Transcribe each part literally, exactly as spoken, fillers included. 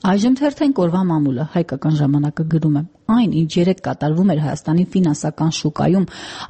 Այժմ թերթենք օրվա մամուլը, հայկական ժամանակը գրում է. այն, ինչ երեկ կատարվում էր Հայաստանի ֆինանսական շուկայում,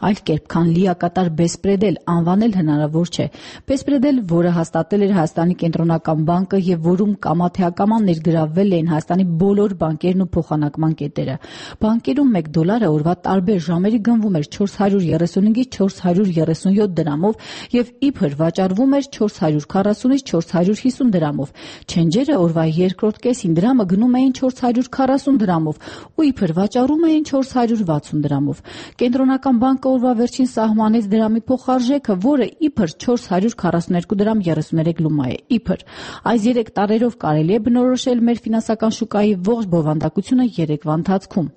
այլ կերպ, քան լիակատար բեսպրեդել, անվանել հնարավոր չէ։ Բեսպրեդել, որը հաստատել էր Հայաստանի կենտրոնական բանկը եւ որում կամա-թե-ակամա ներգրավվել էին Հայաստանի բոլոր բանկերն ու փոխանակման կետերը։ Բանկերում մեկ դոլարը օրվա տարբեր ժամերի գնվում էր չորս հարյուր երեսունհինգից չորս հարյուր երեսունյոթ դրամով եւ իբր վաճառվում էր չորս հարյուր քառասունից չորս հարյուր հիսուն դրամով։ Չենջերը օրվա երկրորդ կեսին դրամը գնում էին չորս հարյուր քառասուն դրամով ու իբր վաճառում էին չորս հարյուր վաթսուն դրամով։ Կենտրոնական բանկը օրվա վերջին սահմանեց դրամի փոխարժեքը, որը իբր չորս հարյուր քառասունյոթ դրամ երեսուներեք լումա է։ Իբր այս երեք տարերով կարելի է բնորոշել մեր ֆինանսական շուկայի ողջ բովանդակությունը երեկվա ընթացքում։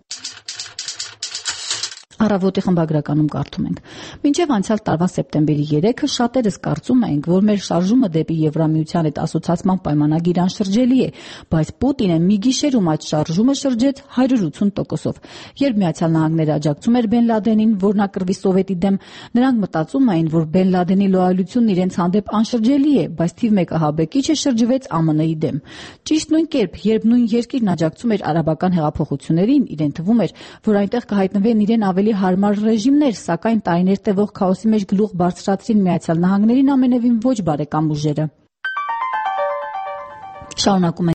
Առավոտի խմբագրականում կարդում ենք. Մինչև անցյալ տարվա սեպտեմբերի երեքը շատերս կարծում էինք, որ մեր շարժումը դեպի Եվրամիության հետ ասոցիացման պայմանագիր անշրջելի է, բայց Պուտինը մի գիշերում այդ շարժումը շրջեց հարյուր ութսուն տոկոսով։ Երբ Միացյալ Նահանգները աջակցում էր Բեն Լադենին, որ նա կռվի Սովետի դեմ, նրանք մտածում էին, որ Բեն Լադենի լոյալությունն իրենց հանդեպ անշրջելի է, բայց թիվ մեկ ահաբեկիչը շրջվեց Α M N-ի դեմ։ Ճիշտ նույն կերպ, երբ նույն երկիրն աջակցում էր արաբական հեղափոխություններին, իրեն թվում էր, որ այնտեղ կհայտնվեն իրեն ավելի հարմար ռեժիմներ, սակայն տարիներ տևող քաոսի մեջ գլուխ բարձրացրին Միացյալ Նահանգներին ամենևին ոչ բարեկամ ուժերը։ Շարունակում